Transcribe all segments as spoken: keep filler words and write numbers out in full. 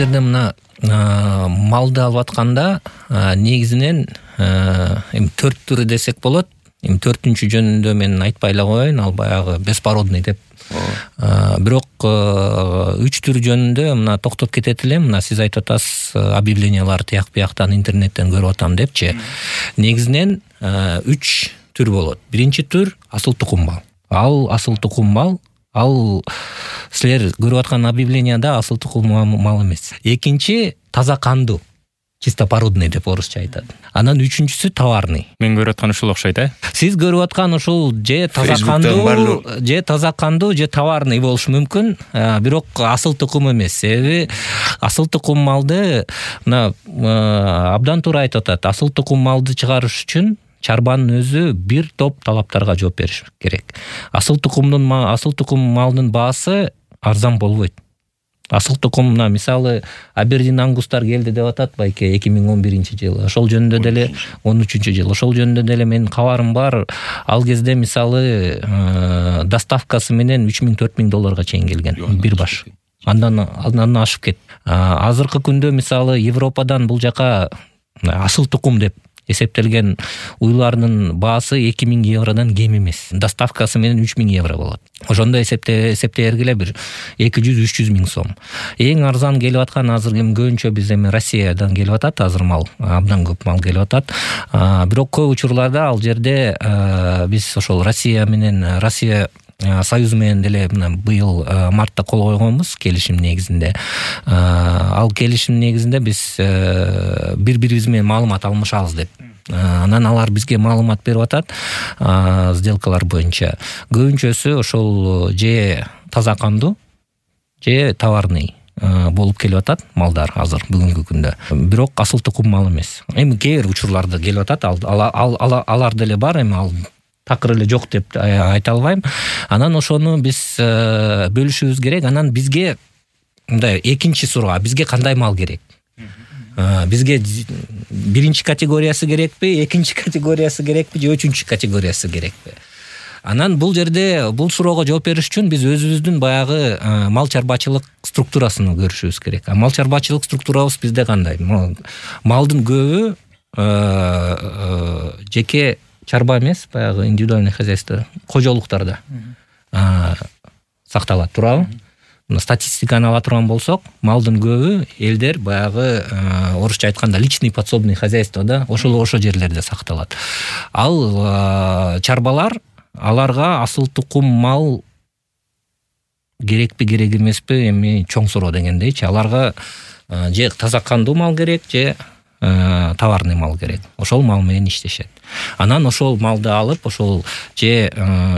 жерде мына малды алып атканда негизинен эми төрт түрү десек болот. Эми төртүнчү жөнүндө мен айтпай эле коеюн, ал баягы беспородный деп. Бирок үч түр жөнүндө мына токтоп кетет элем. Мына сиз айтып атасыз, объявлениялар тияк бияктан интернеттен көрүп атам депчи. Негизинен үч түр болот. Биринчи түр асыл тукум мал. Ал асыл тукум мал. Ал силер көрүп аткан объявленияда асыл тукум мал эмес. Экинчи таза кандуу. Чисто породный деп орусча айтат. Анан үчүнчүсү товарный. Мен көрүп аткан ушул окшойт, э? Сиз көрүп аткан ушул же таза кандуу, же таза кандуу, же товарный болушу мүмкүн, бирок асыл тукум эмес. Себеби асыл тукум малды мына абдан туура айтып атат. Асыл тукум малды чыгарыш үчүн чарбанын өзү бир топ талаптарга жооп бериш керек. Асыл тукумдун асыл тукум малдын баасы арзан болбойт. Асыл тукум мына мисалы Абердин ангустар келди деп атат байке эки миң он биринчи жылы. Ошол жөнүндө деле он үчүнчү жыл. Ошол жөнүндө деле менин кабарым бар. Ал кезде мисалы доставкасы менен үч миң төрт миң долларга чейин келген бир баш. Андан андан ашып кет. Азыркы күндө мисалы Европадан бул жака асыл тукум деп эсептелген уйлардын баасы эки миң евродон кем эмес. Доставкасы менен үч миң евро болот. Ошондо эсепте эсептей бергиле бир эки жүз үч жүз миң сом. Эң арзан келип аткан азыр эми көбүнчө биз эми Россиядан келип атат, азыр мал абдан көп мал келип атат. Бирок көп учурларда ал жерде биз ошол Россия менен Россия Союзу менен деле мына быйыл мартта кол койгонбуз келишим негизинде. Ал келишим негизинде биз бири-бирибиз менен маалымат алмашабыз деп. Анан алар бизге маалымат берип атат сделкалар боюнча. Көбүнчөсү ошол же таза кандуу, же товарный болуп келип атат малдар азыр бүгүнкү күндө. Бирок асыл тукум мал эмес. Эми кээ бир учурларда келип атат, алар деле бар, эми ал такыр эле жок деп айта албайм. Анан ошону биз бөлүшүбүз керек. Анан бизге мындай экинчи суроо, бизге кандай мал керек? Бизге биринчи категориясы керекпи, экинчи категориясы керекпи, же үчүнчү категориясы керекпи? Анан бул жерде бул суроого жооп бериш үчүн биз өзүбүздүн баягы мал чарбачылык структурасын көрүшүбүз керек. А мал чарбачылык структурабыз бизде кандай? Малдын көбү жеке чарба эмес, баягы индивидуальный хозяйство, кожолуктарда сакталат, туурабы? Статистиканы ала турган болсок, малдын көбү элдер баягы орусча айтканда личный подсобный хозяйствода, ошол ошо жерлерде сакталат. Ал чарбалар, аларга асыл тукум мал керекпи, керек эмеспи, эми чоң суроо дегендейчи. Аларга же таза кандуу мал керек, же товарный мал керек. Ошол мал менен иштешет. Анан ошол малды алып, ошол же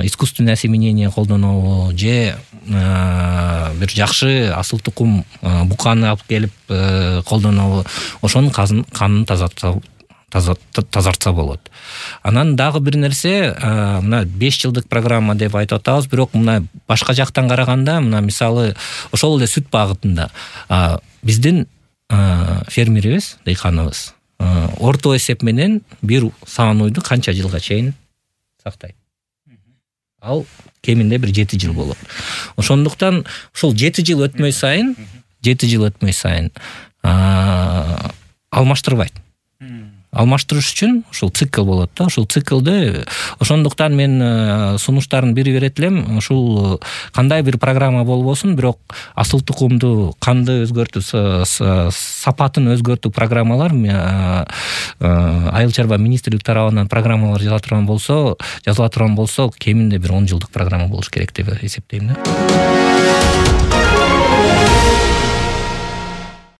искусственное осеменение колдонобу, же бир жакшы асыл тукум буканы алып келип колдонобу, ошонун канын тазартса болот. Анан дагы бир нерсе, мына беш жылдык программа деп айтып атабыз, бирок мына башка жактан караганда, мына мисалы ошол эле сүт багытында биздин фермерибиз, дыйканыбыз орто эсеп менен бир саан уйду канча жылга чейин сактайт? Ал кеминде бир жети жыл болот. Ошондуктан ошол жети жыл өтмөй сайын, жети жыл өтмөй сайын алмаштырбайт. Алмаштырыш үчүн ошол цикл болот да, ошол циклды. Ошондуктан мен сунуштардын бири берет элем, ушул кандай бир программа болбосун, бирок асыл тукумду, канды өзгөртүү, сапатын өзгөртүү программалар Айыл чарба министрлик тарабынан программалар жазыла турган болсо, жазыла турган болсо, кеминде бир он жылдык программа болуш керек деп эсептейм да.